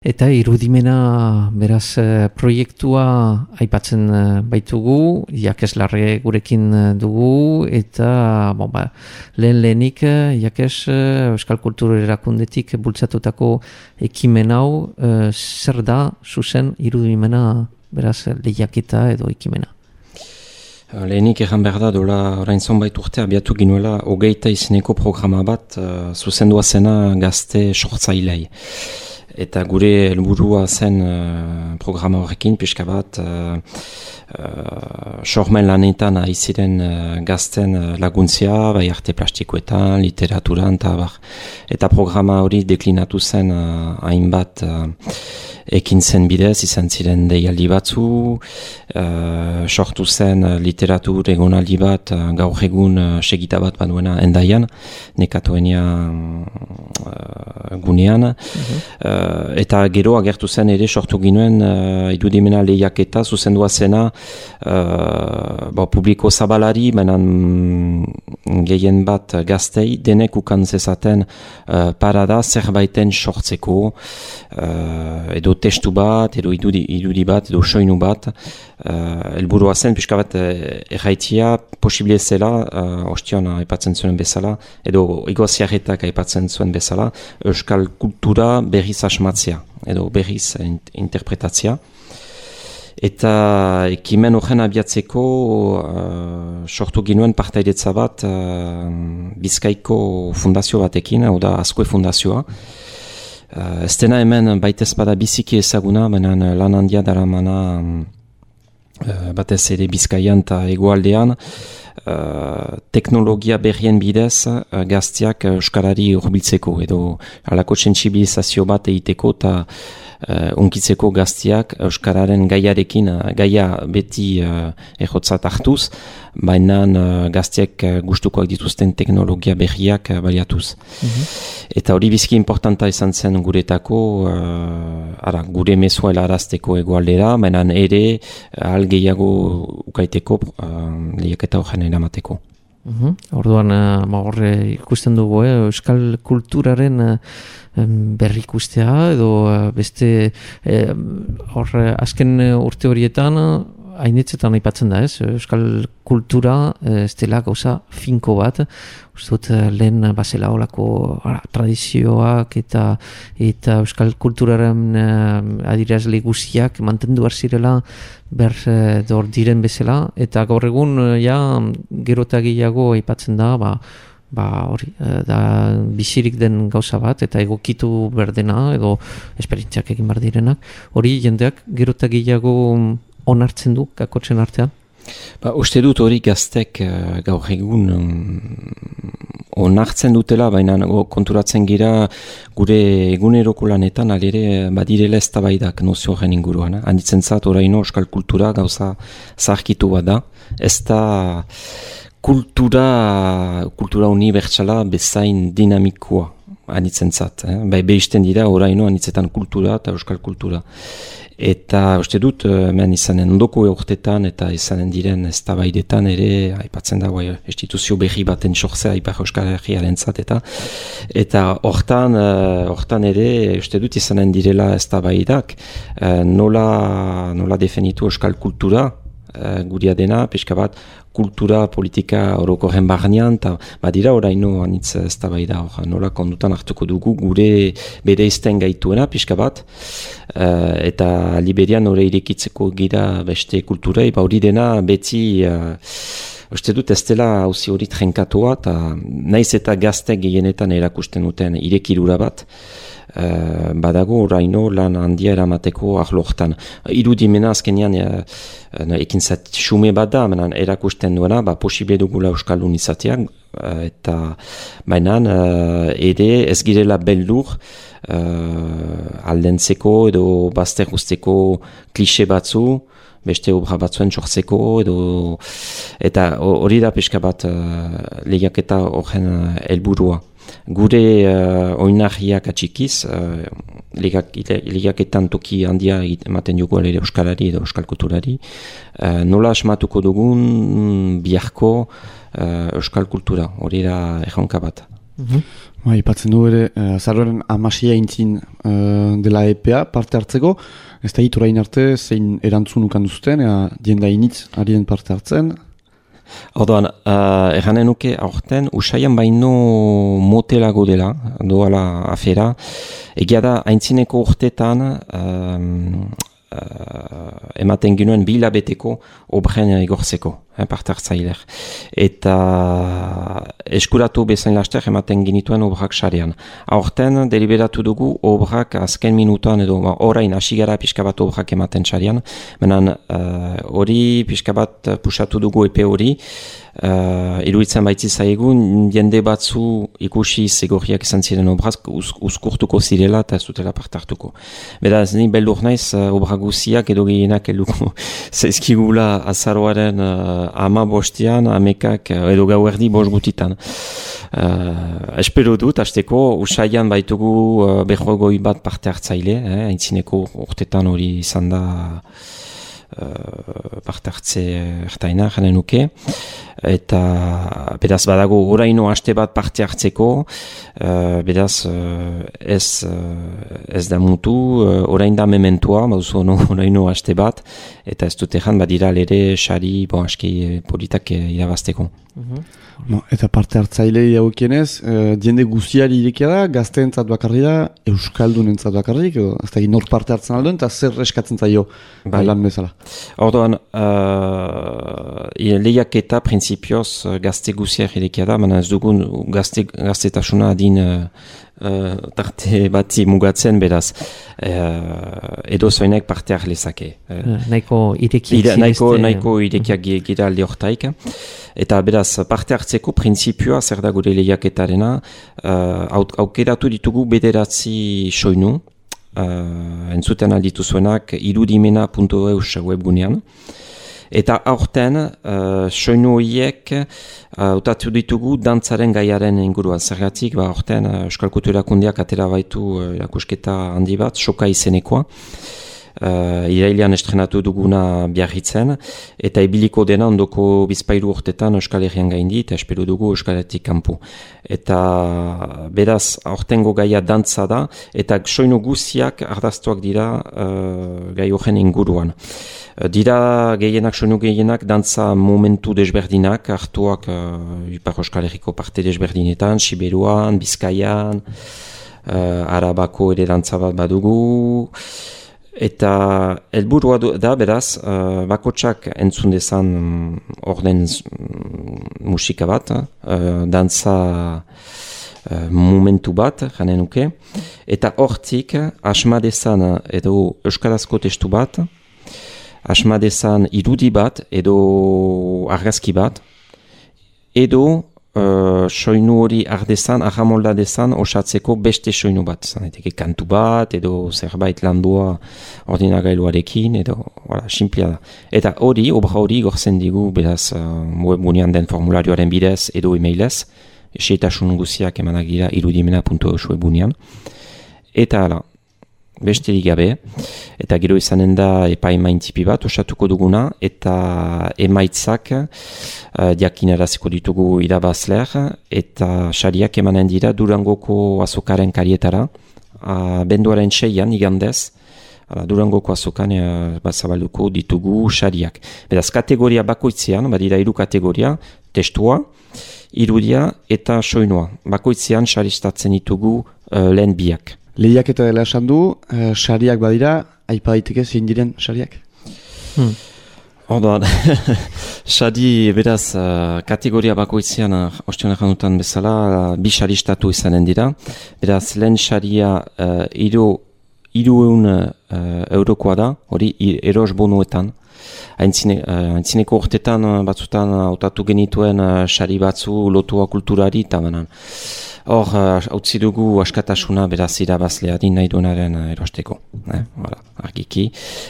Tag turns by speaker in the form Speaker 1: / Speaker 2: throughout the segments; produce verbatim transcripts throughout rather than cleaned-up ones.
Speaker 1: Eta irudimena, beraz, proiektua aipatzen baitugu, Jakes gurekin dugu, eta bon, ba, lehen lehenik, Jakes, Euskal Kultura Erakundetik bultzatutako ekimen hau, e, zer da, zuzen, irudimena, beraz, lehiaketa edo ekimena?
Speaker 2: Lehenik egan behar da, dola orain zonbait urte abiatu ginuela hogeita izeneko programa bat, uh, zuzendua zena gazte sortzailei. Eta gure helburua zen uh, programa horrekin, pixka bat, uh, uh, sormen lanetan aiziren uh, gazten uh, laguntzia, bai arte plastikoetan, literaturan, eta bar. Eta programa hori deklinatu zen uh, hainbat uh, ekin zen bidez, izan ziren deialdi batzu, uh, sortu zen uh, literatur egonaldi bat, uh, gaur egun uh, segita bat baduena endaian, nekatuenia uh, gunean. Mm-hmm. Uh, eta gero agertu zen ere sortu ginuen uh, irudimena lehiaketa zuzendua zena uh, bo, publiko zabalari, menan gehien bat gaztei, denek ukan zezaten uh, parada zerbaiten sortzeko, uh, edo testu bat, edo irudi, irudi bat, edo soinu bat, uh, elburua zen, pixka bat erraitia posible zela, uh, ostion aipatzen zuen bezala, edo igoziarretak aipatzen zuen bezala, euskal kultura berriz asmatzea, edo berriz interpretatzea. Eta ekimen horren abiatzeko uh, sortu ginuen partaidetza bat uh, Bizkaiko fundazio batekin, hau da Azkue fundazioa. Uh, ez dena hemen baitez bada biziki ezaguna, benen lan handia daramana uh, batez ere Bizkaian eta hegoaldean. Uh, teknologia berrien bidez uh, gaztiak euskarari hurbiltzeko edo halako sentsibilizazio bat egiteko eta uh, unkitzeko gaztiak euskararen gaiarekin, uh, gaia beti uh, errotzat hartuz, baina uh, gaztiak uh, gustukoak dituzten teknologia berriak uh, baliatuz. Mm-hmm. Eta hori bizki importanta izan zen guretako, uh, ara, gure mezua helarazteko egoaldera, baina ere ahal gehiago ukaiteko uh, lehiaketa horren eramateko.
Speaker 1: Uhum. Orduan, uh, horre ikusten dugu, eh? Euskal kulturaren uh, berrikustea edo uh, beste uh, hor azken urte horietan uh, hainitzetan aipatzen da, ez? Euskal kultura uh, ez dela gauza finko bat, uste dut uh, lehen bazela olako uh, tradizioak eta eta euskal kulturaren uh, adirazle guziak mantendu zirela ber uh, dor diren bezala, eta gaur egun uh, ja gerota gehiago aipatzen da, ba, ba hori, da bizirik den gauza bat, eta egokitu berdena, edo esperientziak egin bar direnak, hori jendeak gerota gehiago onartzen du, kakotzen artean?
Speaker 2: Ba, uste dut hori gaztek uh, gaur egun um, onartzen dutela, baina konturatzen gira gure eguneroko lanetan alere badirela eztabaidak nozio horren inguruan. Eh? Handitzen zat oraino euskal kultura gauza zaharkitu bat da. Ez da kultura, kultura unibertsala bezain dinamikoa handitzen zat. Eh? Bai behisten dira oraino handitzetan kultura eta euskal kultura. Eta uste dut, hemen izanen ondoko eurtetan eta izanen diren eztabaidetan ere, aipatzen dago instituzio berri baten sortzea Ipar Euskal Herriaren zat, eta eta hortan, hortan ere, uste dut izanen direla eztabaidak, nola, nola definitu euskal kultura, guria dena, pixka bat, kultura, politika orokorren barnean, eta badira oraino anitz eztabaida hor, nola kondutan hartuko dugu gure bere izten gaituena, pixka bat, uh, eta Liberian hori irekitzeko gira beste kulturei, ba hori dena beti, uh, uste dut ez dela hauzi hori trenkatua, eta naiz eta gazte gehienetan erakusten duten irekirura bat, Uh, badago oraino lan handia eramateko arlortan. Irudimena azkenean uh, ekintzat xume bat da, menan erakusten duena, ba, posible dugula euskaldun izateak, uh, eta mainan uh, ere ez girela beldur uh, aldentzeko edo bazter guzteko klixe batzu, beste obra batzuen sortzeko, edo eta hori da pixka bat uh, lehiaketa horren uh, helburua. Gure uh, oinarriak atxikiz, uh, lehiaketan toki handia ematen dugu ere euskalari edo euskal kulturari, uh, nola asmatuko dugun biharko uh, euskal kultura, hori da erronka bat.
Speaker 3: Mm-hmm. Ba, ipatzen du ere, uh, azaroaren amasia intzin uh, dela E P A parte hartzeko, ez da hiturain arte zein erantzun ukan duzuten, ea dienda initz arien parte hartzen.
Speaker 2: Orduan, uh, erranen nuke aurten, usaian baino motelago dela, doala afera, egia da, haintzineko urtetan, um, uh, ematen ginuen bilabeteko obren igortzeko, eh, parte hartzailer. Eta eskuratu bezain laster ematen ginituen obrak sarean. Aurten, deliberatu dugu obrak azken minutan edo orain hasi gara pixka bat obrak ematen sarean, menan hori uh, pixka bat pusatu dugu epe hori, Uh, iruditzen baitzi zaigun, jende batzu ikusi zegorriak izan ziren obraz uz, uzkurtuko zirela eta ez dutela parte hartuko. Beraz, ni beldur naiz uh, obra guziak edo gehienak eluko zaizkigula azaroaren uh, ama bostian, amekak uh, edo gauerdi bost gutitan. Uh, espero dut, hasteko usaian baitugu uh, behogoi bat parte hartzaile, eh, haintzineko urtetan hori izan da Uh, parte hartze ertaina janen nuke eta beraz badago oraino haste bat parte hartzeko uh, beraz uh, ez, uh, ez da mutu uh, orain da mementua baduzu no, oraino haste bat eta ez dut egan badira lere sari bon, aski politak irabazteko.
Speaker 3: Mm-hmm. No, eta parte hartzailei haukienez, uh, diende guziari irekia da, gazteentzat bakarri da, euskaldunentzat bakarrik, edo ez da nor parte hartzen alduen, eta zer eskatzen zaio bai. Lan bezala.
Speaker 2: Orduan, uh, lehiak eta prinsipioz gazte guziari irekia da, baina ez dugun gazte, gaztetasuna adin uh, Uh, tarte batzi mugatzen beraz uh, edo zoinek parte har lezake.
Speaker 1: Uh, nahiko irekiak
Speaker 2: ira, nahiko, nahiko irekiak uh, gira alde hortaik. Eta beraz parte hartzeko printzipioa zer da gure lehiaketarena uh, aukeratu ditugu bederatzi soinu uh, entzuten alditu zuenak irudimena puntu eus webgunean. Eta aurten, uh, soinu horiek hautatu uh, ditugu dantzaren gaiaren inguruan. Zergatik, ba, aurten uh, Euskal Kultura Erakundeak atera baitu uh, erakusketa handi bat, soka izenekoa. Uh, irailean estrenatu duguna Biarritzen, eta ibiliko dena ondoko bizpairu urtetan Euskal Herrian gaindi, eta espero dugu Euskal Herritik kanpo. Eta beraz, aurtengo gaia dantza da, eta soinu guziak ardaztuak dira uh, gai horren inguruan. Uh, dira gehienak, soinu gehienak, dantza momentu desberdinak, hartuak uh, Ipar Euskal Herriko parte desberdinetan, Siberuan, Bizkaian, uh, Arabako ere dantza bat badugu, eta helburua da beraz, uh, bakotsak entzun dezan um, orden um, musika bat, uh, dantza uh, momentu bat, janen nuke, eta hortik asma dezan edo euskarazko testu bat, asma dezan irudi bat edo argazki bat, edo Uh, soinu hori ardezan, ahamolda dezan, osatzeko beste soinu bat. Zaneteke kantu bat, edo zerbait landua ordinagailuarekin, edo, wala, simplia da. Eta hori, obra hori gortzen digu, beraz, uh, webgunean den formularioaren bidez, edo emailez, eseitasun guziak emanak dira irudimena puntu eus webgunean. Eta, ala, besterik gabe, eta gero izanen da epaimintzipi bat osatuko duguna, eta emaitzak uh, diakinaraziko ditugu irabazler, eta sariak emanen dira Durangoko azokaren karietara, uh, benduaren seian igandez, uh, Durangoko azokan uh, bazabalduko ditugu sariak. Beraz, kategoria bakoitzean, badira hiru kategoria, testua, irudia eta soinua. Bakoitzean saristatzen ditugu uh, lehen biak.
Speaker 3: Lehiak eta dela esan du, uh, sariak badira, aipa daiteke zein diren sariak?
Speaker 2: Hmm. Orduan, sari beraz uh, kategoria bakoitzean, uh, ostion erranutan bezala, uh, bi saristatu izanen dira. Beraz, lehen saria uh, iru, iru eun uh, eurokoa da, hori eros bonuetan. Aintzine, uh, aintzineko urtetan uh, batzutan hautatu uh, genituen uh, sari batzu lotua kulturari eta banan. Hor, hautzi uh, dugu askatasuna beraz irabazleari nahi duenaren uh, erosteko. Eh? Voilà, argiki.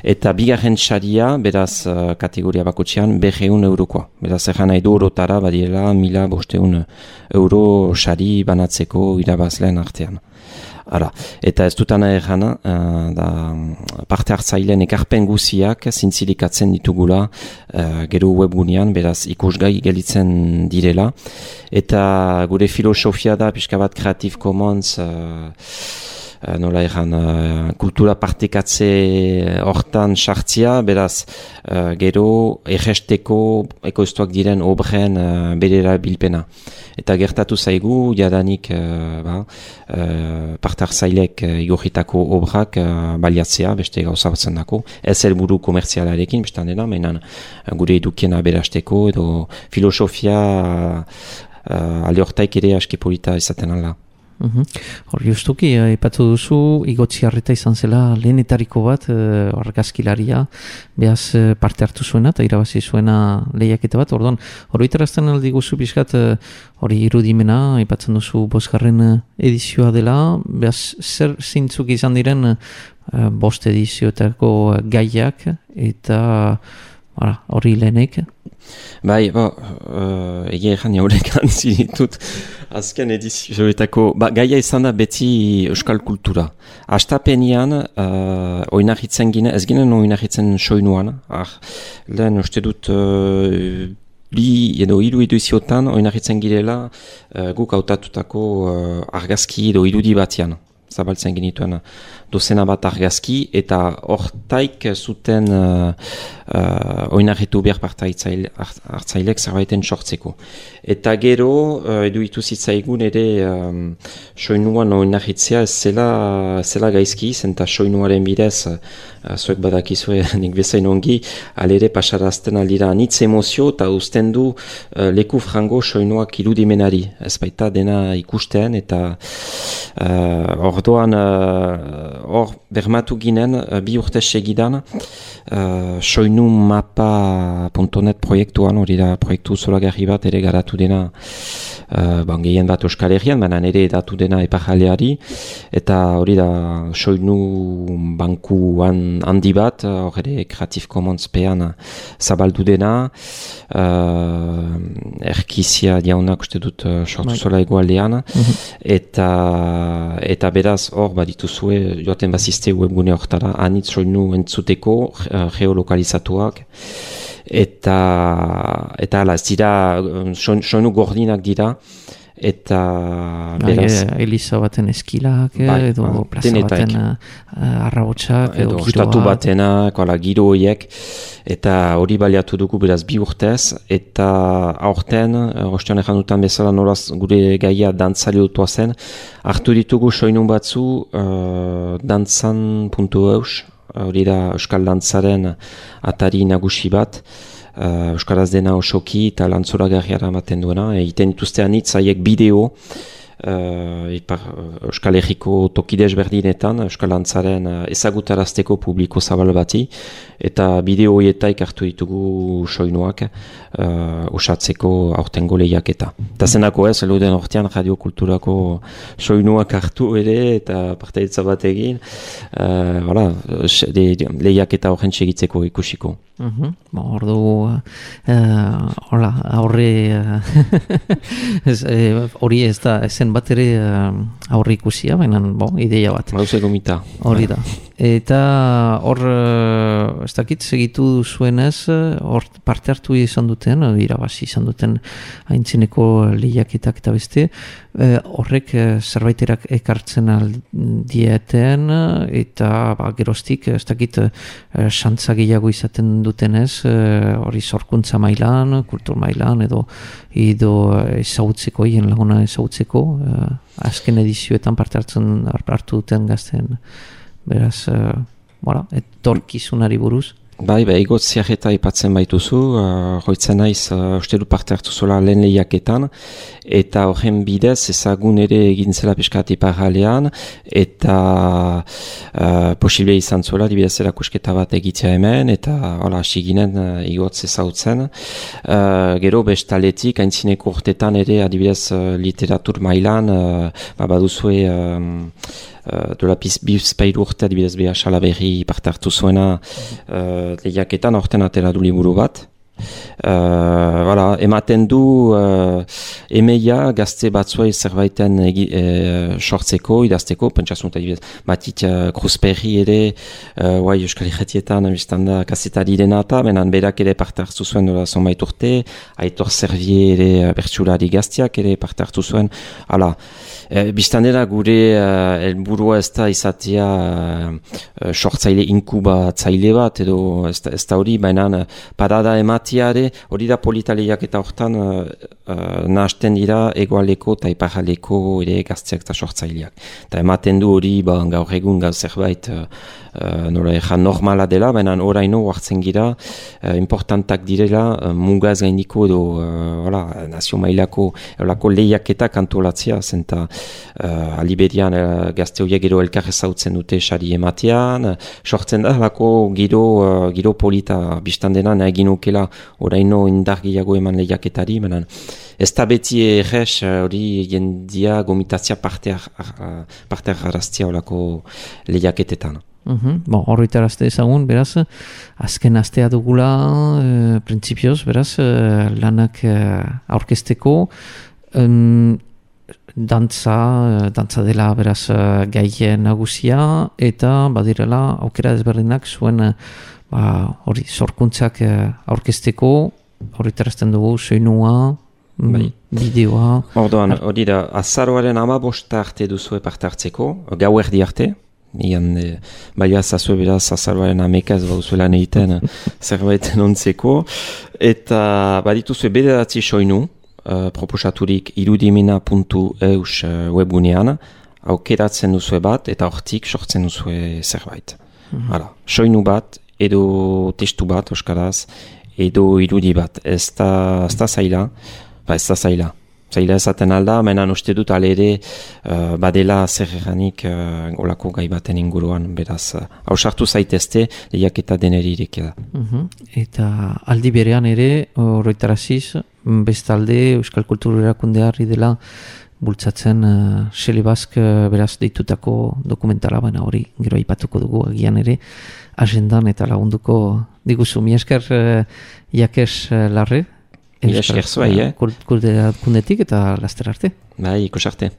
Speaker 2: Eta bigarren saria, beraz uh, kategoria bakotxean, berreun eurokoa. Beraz, erran nahi du orotara, badiela, mila bosteun euro sari banatzeko irabazleen artean. Ara, eta ez dutana errana, uh, da parte hartzaileen ekarpen guziak zintzilikatzen ditugula uh, gero webgunean, beraz ikusgai gelitzen direla. Eta gure filosofia da, pixka bat Creative Commons, uh, uh, nola erran, uh, kultura partekatze hortan sartzia, beraz uh, gero erresteko ekoiztuak diren obren uh, berera bilpena. Eta gertatu zaigu, jadanik uh, ba, uh, parte hartzailek uh, igorritako obrak uh, baliatzea, beste gauza batzen dako. Ez helburu komertzialarekin, bestan dena, mainan uh, gure edukiena berasteko, edo filosofia uh, uh, alde hortaik ere aski polita izaten ala.
Speaker 1: Hor uh-huh. Justuki, ipatu duzu, Igotziarreta izan zela lehenetariko bat, uh, argazkilaria, behaz uh, parte hartu zuena, eta irabazi zuena lehiaketa bat, orduan, hori iterazten aldi guzu pixkat, hori uh, irudimena, ipatzen duzu bosgarren edizioa dela, behaz zer zintzuk izan diren uh, bost edizioetako gaiak, eta hori lehenek?
Speaker 2: Bai, bo, uh, egia ezan jaurekan zinitut azken edizioetako, ba, gaia izan da beti euskal kultura. Astapenian, uh, oinarritzen gine, ez ginen oinarritzen soinuan, ah, lehen uste dut uh, bi edo hiru ediziotan oinarritzen girela uh, guk hautatutako uh, argazki edo irudi batian. Zabaltzen genituen dozena bat argazki, eta hortaik zuten uh, uh, oinarritu behar parte hartzailek zerbaiten sortzeko. Eta gero, uh, edu ituzitzaigun ere um, soinuan oinarritzea ez zela, zela gaizki, zenta soinuaren bidez, uh, zuek badakizue nik bezain ongi, alere pasarazten aldira anitz emozio, eta uzten du uh, leku frango soinuak irudimenari. Ez baita dena ikusten, eta uh, ordoan hor uh, bermatu ginen uh, bi urte segidan uh, soinu mapa puntu net proiektuan, hori da proiektu zolagarri bat ere garatu dena uh, ban, gehien bat Euskal Herrian, baina ere edatu dena epajaleari, eta hori da soinu bankuan handi bat, hor ere Creative Commons pean zabaldu dena, uh, erkizia jaunak uste dut uh, sortu zola egualdean, mm-hmm. eta eta beraz hor badituzue joaten bazizte webgune hortara anitz soinu entzuteko uh, geolokalizatuak, eta eta ala ez dira soinu gordinak dira, eta beraz
Speaker 1: Eliza baten eskilak,
Speaker 2: bai,
Speaker 1: edo
Speaker 2: ba,
Speaker 1: plaza baten uh, arrabotsak,
Speaker 2: edo ostatu batenak, giro horiek, eta hori baliatu dugu beraz bi urtez, eta aurten, rostean ejan dutan bezala nolaz gure gaia dantzali dutua zen, hartu ditugu soinun batzu uh, dantzan puntu eus, hori da Euskal Dantzaren atari nagusi bat, Uh, Euskaraz dena osoki eta lantzoragarriara ematen duena, egiten dituztean hitz haiek bideo, uh, ipar, Euskal Herriko tokidez berdinetan, Euskal Dantzaren uh, ezagutarazteko publiko zabal bati, eta bideo horietaik hartu ditugu soinuak uh, osatzeko aurtengo lehiaketa. Eta zenako ez, eluden hortean radiokulturako soinuak hartu ere, eta partaitza bat egin, uh, voilà, lehiaketa horren segitzeko ikusiko.
Speaker 1: Uh-huh. Ba, ordu hola, uh, aurre hori uh, ez da ezen bat ere uh, aurre ikusia, baina bo, ideia bat.
Speaker 2: Hauze gomita.
Speaker 1: Hori da. Eta hor, uh, ez dakit segitu zuenez, hor parte hartu izan duten, irabazi izan duten haintzineko lehiaketak eta beste, uh, horrek uh, zerbaiterak ekartzen aldieten, eta ba, geroztik, ez dakit, uh, xantza gehiago izaten dutenez, hori uh, sorkuntza mailan, kultur mailan, edo edo ezagutzeko, hien laguna ezagutzeko, uh, azken edizioetan parte hartzen hartu duten gazten, beraz, uh, voilà, etorkizunari buruz.
Speaker 2: Bai, bai, Igotziarreta ipatzen baituzu, uh, hoitzen naiz, uh, uste du parte hartu zola lehen lehiaketan, eta horren bidez ezagun ere egin zela piskat iparralean, eta uh, posible izan zola, dibidez erakusketa bat egitea hemen, eta hola, hasi ginen uh, Igotz ezautzen. Uh, gero bestaletik, aintzineko urtetan ere, adibidez uh, literatur mailan, uh, ba, baduzue um, Uh, dola bizpairu urte adibidez beha Salaberri parte hartu zuena uh, lehiaketan, horten atera du liburu bat, Uh, voilà, ematen du uh, emeia gazte batzuei zerbaiten egi, e, sortzeko, idazteko, pentsasunta dibet, batit uh, Kruzperri ere, uh, guai Euskal Irratietan biztanda kazetari dena eta, benan berak ere parte hartu zuen dola zonbait urte, Aitor Servier ere uh, bertsulari gaztiak ere parte hartu zuen, hala, e, biztandera gure uh, helburua ez da izatea uh, sortzaile inkubatzaile bat, edo ez da, ez da hori, baina uh, parada ematiare, hori da politaleiak eta hortan uh, uh, nahasten dira egoaleko eta iparaleko ere gazteak eta sortzaileak. Eta ematen du hori ba, gaur egun gaur zerbait uh, uh, nola ejan normala dela, baina oraino hartzen gira uh, importantak direla uh, mugaz gaindiko edo uh, voilà, nazio mailako olako lehiaketak antolatzea, zenta uh, aliberian uh, gazte horiek gero elkar ezautzen dute sari ematean, uh, sortzen da lako giro, uh, giro polita biztandena nahi ginukela oraino indar gehiago eman lehiaketari, baina ez da beti errez hori jendia gomitatzea parte harraztia olako lehiaketetan.
Speaker 1: Uhum. Bon, horretarazte ezagun, beraz, azken astea dugula, e, printzipioz, beraz, e, lanak e, aurkezteko, um, dantza, e, dantza dela, beraz, gai nagusia, eta badirela, aukera ezberdinak zuen, ba, hori, sorkuntzak e, aurkezteko, horretarazten dugu, soinua, bai. Bideoa.
Speaker 2: Orduan, hori da, azaroaren amabosta arte duzue parte hartzeko, gau erdi arte, Ian, e, baina zazue beraz azaroaren amekaz bauzuelan egiten zerbaiten ontzeko, eta badituzue bederatzi soinu, uh, proposaturik irudimena puntu eus uh, webgunean, aukeratzen duzue bat, eta hortik sortzen duzue zerbait. Mm-hmm. Hala, soinu bat, edo testu bat, euskaraz, edo irudi bat, ez da, ez da zaila, ba ez da zaila. Zaila ezaten alda, menan uste dut alere uh, badela zer eranik uh, olako gai baten inguruan, beraz, hausartu uh, zaitezte, lehiak eta deneri irekia da.
Speaker 1: Uh-huh. Eta aldi berean ere, horretaraziz, bestalde Euskal Kultur Erakundeari dela bultzatzen uh, Xelebazk uh, beraz deitutako dokumentala, baina hori gero aipatuko dugu agian ere, agendan eta lagunduko diguzu. Mi esker uh, Jakes uh, Larre,
Speaker 2: Mila esker zuai, eh?
Speaker 1: Kultura kundetik eta laster arte.
Speaker 2: Bai, ikus arte.